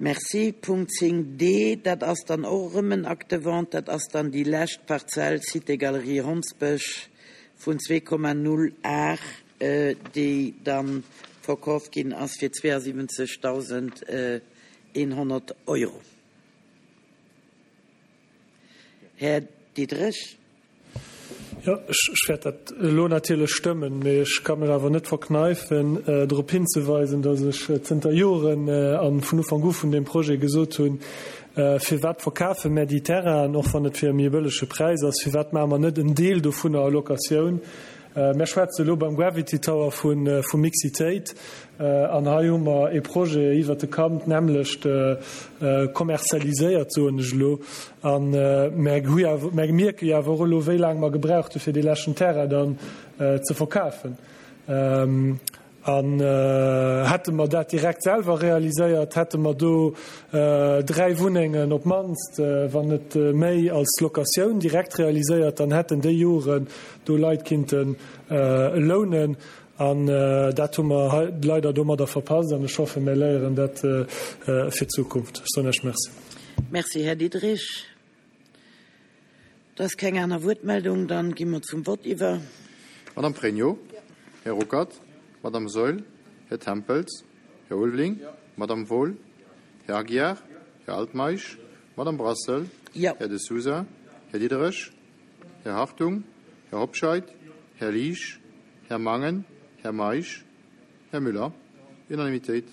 Merci. Punkt 10 d, dat ass dann och erëm en Acte de vente. Dat ass dann déi lescht Parzell Cité Galerie Hondsbësch vun 2,0 Ar, déi da verkaaft ginn ass fir 72.100 Euro. Här Diderich. Jo, ech wäert dat elo natierlech stëmmen, mee ech ka mech awer net verkneifen, drop hinzeweisen, datt ech zënter Joren a vun Ufank u vun deem Projet gesot hunn, Firwat verkafe mär déi Terrainen, och wann et fir e méi bëllege Präis ass, firwat maache mer net en Deel dovunner a Locatioun? Mär schwätze elo beim Gravity Tower vu Mixitéit an hei hu mer ee Projet iwwert de Kamp, d'nämmlecht kommerzialiséiert, soen ech elo. A mär hu jo awer, mär mierke jo awer och elo, wéi laang mer gebraucht hu fir dee leschten Terrain dann ze verkafen. An hätte mer dat direkt selwer realiséiert, hätte mer do 3 Wunnengen op d'mannst, wann net méi, als Locatioun direkt realiséiert, dann hätten déi Joren do Leit kinnte lounen. An dat hu mer hei leider domadder verpasst an ech hoffen, mir léieren dat fir d'Zukunft. Ech soen Iech Merci. Merci, Här Diderich. Et ass keng aner Wuertmeldung, dann gi mer zum Vott iwwer. Madame Pregno, Här Ruckert, Madame Saeul, Här Tempels, Här Ulveling, Madame Wohl, Här Aguiar, Här Altmeisch, Madame Brassel, Här De Sousa, Här Diderich, Här Hartung, Här Hobscheit, Här Liesch, Här Mangen, Här Meisch, Här Müller. Unanimitéit.